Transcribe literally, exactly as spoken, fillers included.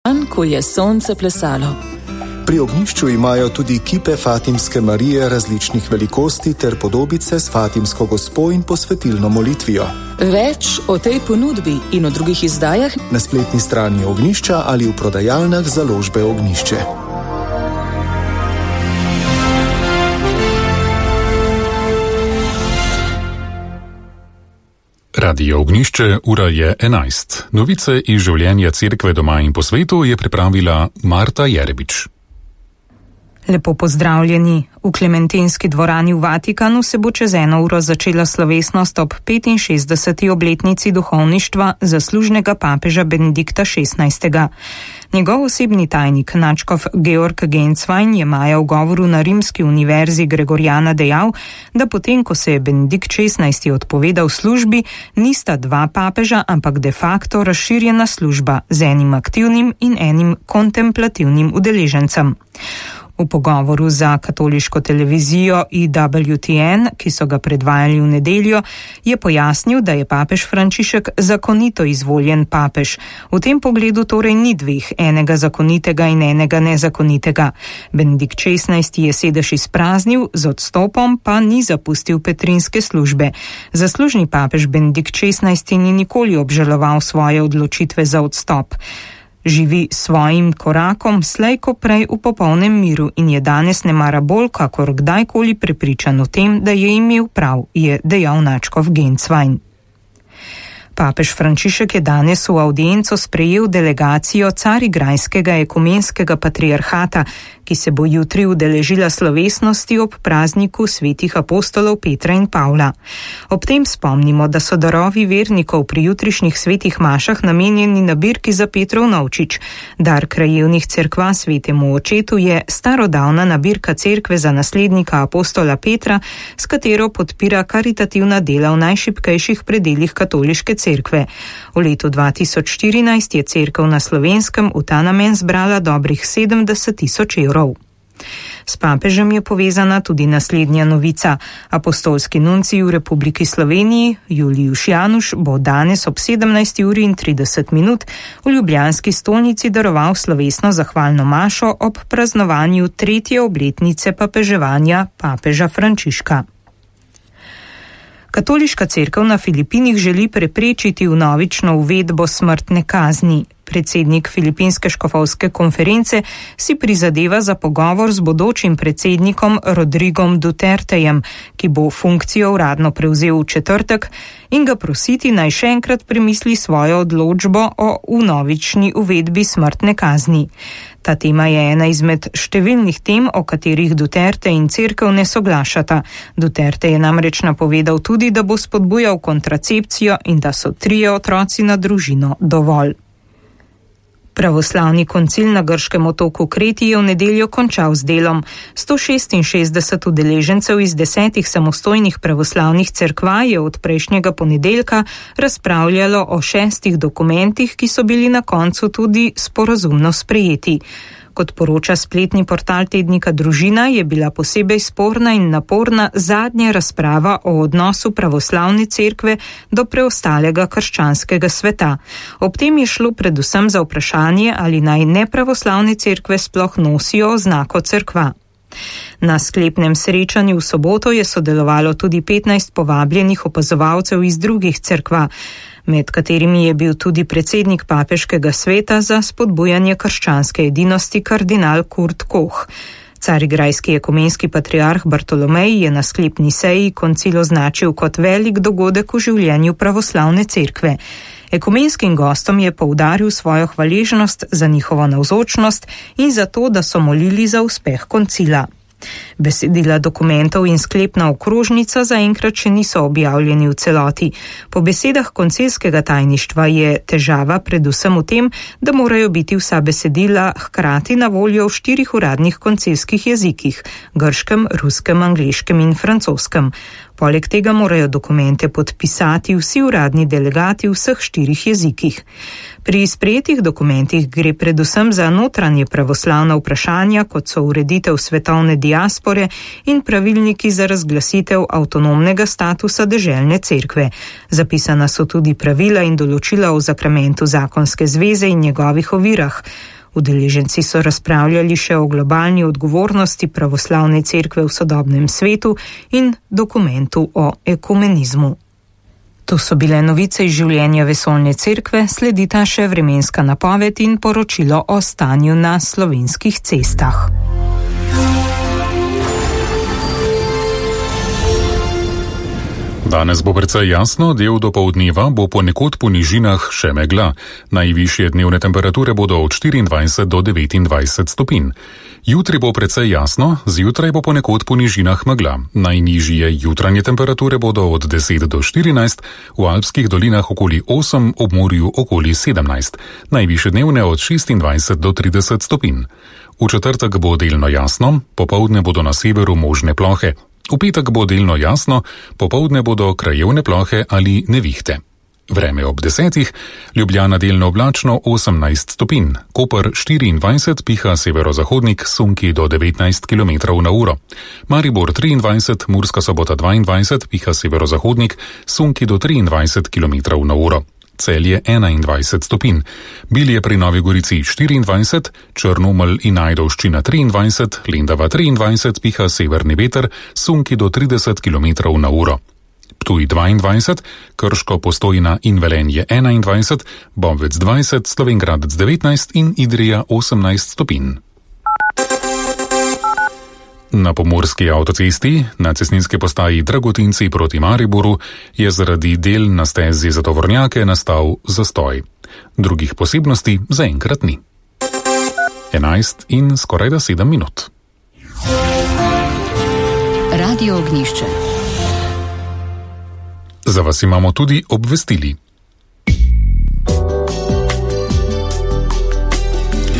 Dan, ko je sonce plesalo. Pri ognjišču imajo tudi kipe Fatimske Marije različnih velikosti ter podobice s Fatimsko gospo in posvetilno molitvijo. Več o tej ponudbi in o drugih izdajah na spletni strani Ognjišča ali v prodajalnah založbe Ognjišče. Radio Ognjišče, ura je enajst. Novice iz življenja cerkve doma in po svetu je pripravila Marta Jerebič. Lepo pozdravljeni. V Klementinski dvorani v Vatikanu se bo čez eno uro začela slovesnost ob petinšestdeseti obletnici duhovništva zaslužnega papeža Benedikta šestnajstega. Njegov osebni tajnik, nadškof Georg Genswein, je maja v govoru na Rimski univerzi Gregoriana dejal, da potem, ko se je Benedikt šestnajsti odpovedal službi, nista dva papeža, ampak de facto razširjena služba z enim aktivnim in enim kontemplativnim udeležencem. V pogovoru za katoliško televizijo E W T N, ki so ga predvajali v nedeljo, je pojasnil, da je papež Frančišek zakonito izvoljen papež. V tem pogledu torej ni dveh, enega zakonitega in enega nezakonitega. Benedikt šestnajsti je sedež izpraznil, z odstopom pa ni zapustil petrinske službe. Zaslužni papež Benedikt šestnajsti ni nikoli obžaloval svoje odločitve za odstop. Živi svojim korakom slej ko prej v popolnem miru in je danes nemara bolj kakor kdajkoli prepričan o tem, da je imel prav, je dejal nadškof Genswein. Papež Frančišek je danes v avdienco sprejel delegacijo Carigrajskega ekumenskega patriarhata, ki se bo jutri udeležila slovesnosti ob prazniku svetih apostolov Petra in Pavla. Ob tem spomnimo, da so darovi vernikov pri jutrišnjih svetih mašah namenjeni nabirki za Petrov novčič. Dar krajevnih cerkva svetemu očetu je starodavna nabirka cerkve za naslednika apostola Petra, s katero podpira karitativna dela v najšibkejših predeljih katoliške cerkve. V letu dva tisoč štirinajst je cerkev na Slovenskem v ta namen zbrala dobrih sedemdeset tisoč evrov. S papežem je povezana tudi naslednja novica. Apostolski nuncij v Republiki Sloveniji, Julijuš Januš, bo danes ob sedemnajsti uri in trideset minut v ljubljanski stolnici daroval slovesno zahvalno mašo ob praznovanju tretje obletnice papeževanja papeža Frančiška. Katoliška cerkev na Filipinih želi preprečiti vnovično uvedbo smrtne kazni. Predsednik Filipinske škofovske konference si prizadeva za pogovor z bodočim predsednikom Rodrigom Dutertejem, ki bo funkcijo uradno prevzel v četrtek, in ga prositi naj še enkrat premisli svojo odločbo o vnovični uvedbi smrtne kazni. Ta tema je ena izmed številnih tem, o katerih Duterte in cerkev ne soglašata. Duterte je namreč napovedal tudi, da bo spodbujal kontracepcijo in da so trije otroci na družino dovolj. Pravoslavni koncil na grškem otoku Kreti je v nedeljo končal z delom. sto šestinšestdeset udeležencev iz desetih samostojnih pravoslavnih cerkva je od prejšnjega ponedeljka razpravljalo o šestih dokumentih, ki so bili na koncu tudi sporazumno sprejeti. Kot poroča spletni portal tednika Družina, je bila posebej sporna in naporna zadnja razprava o odnosu pravoslavne cerkve do preostalega krščanskega sveta. Ob tem je šlo predvsem za vprašanje, ali naj nepravoslavne cerkve sploh nosijo oznako cerkva. Na sklepnem srečanju v soboto je sodelovalo tudi petnajst povabljenih opazovalcev iz drugih cerkva, med katerimi je bil tudi predsednik papeškega sveta za spodbujanje krščanske edinosti kardinal Kurt Koch. Carigrajski ekumenski patriarh Bartolomej je na sklepni seji koncil označil kot velik dogodek v življenju pravoslavne cerkve. Ekumenskim gostom je poudaril svojo hvaležnost za njihovo navzočnost in za to, da so molili za uspeh koncila. Besedila dokumentov in sklepna okrožnica zaenkrat še niso objavljeni v celoti. Po besedah koncilskega tajništva je težava predvsem v tem, da morajo biti vsa besedila hkrati na voljo v štirih uradnih koncilskih jezikih: grškem, ruskem, angleškem in francoskem. Poleg tega morajo dokumente podpisati vsi uradni delegati v vseh štirih jezikih. Pri sprejetih dokumentih gre predvsem za notranje pravoslavna vprašanja, kot so ureditev svetovne diaspore in pravilniki za razglasitev avtonomnega statusa deželne cerkve. Zapisana so tudi pravila in določila o zakramentu zakonske zveze in njegovih ovirah. Udeleženci so razpravljali še o globalni odgovornosti pravoslavne cerkve v sodobnem svetu in dokumentu o ekumenizmu. To so bile novice iz življenja vesoljne cerkve, sledita še vremenska napoved in poročilo o stanju na slovenskih cestah. Danes bo precej jasno, del dopoldneva bo ponekod po nižinah še megla. Najvišje dnevne temperature bodo od štiriindvajset do devetindvajset stopinj. Jutri bo precej jasno, zjutraj bo ponekod po nižinah megla. Najnižje jutranje temperature bodo od deset do štirinajst, v alpskih dolinah okoli osem, ob morju okoli sedemnajst. Najvišje dnevne od šestindvajset do trideset stopinj. V četrtek bo delno jasno, popoldne bodo na severu možne plohe. V petek bo delno jasno, popoldne bodo krajevne plohe ali nevihte. Vreme ob desetih, Ljubljana delno oblačno osemnajst stopinj, Koper štiriindvajset, piha severozahodnik, sunki do devetnajst kilometrov na uro. Maribor triindvajset, Murska Sobota dvaindvajset, piha severozahodnik, sunki do triindvajset kilometrov na uro. Celje enaindvajset stopinj, Bilje pri Novi Gorici štiriindvajset, Črnomelj in Ajdovščina triindvajset, Lendava triindvajset, piha severni veter, sunki do trideset kilometrov na uro. Ptuj dvaindvajset, Krško, Postojna in Velenje enaindvajset, Bovec dvajset, Slovenj Gradec devetnajst in Idrija osemnajst stopinj. Na pomurski avtocesti, na cestninski postaji Dragotinci proti Mariboru, je zaradi del na stezi za tovornjake nastal zastoj. Drugih posebnosti zaenkrat ni. enajst in skorajda sedem minut. Radio Ognjišče. Za vas imamo tudi obvestili.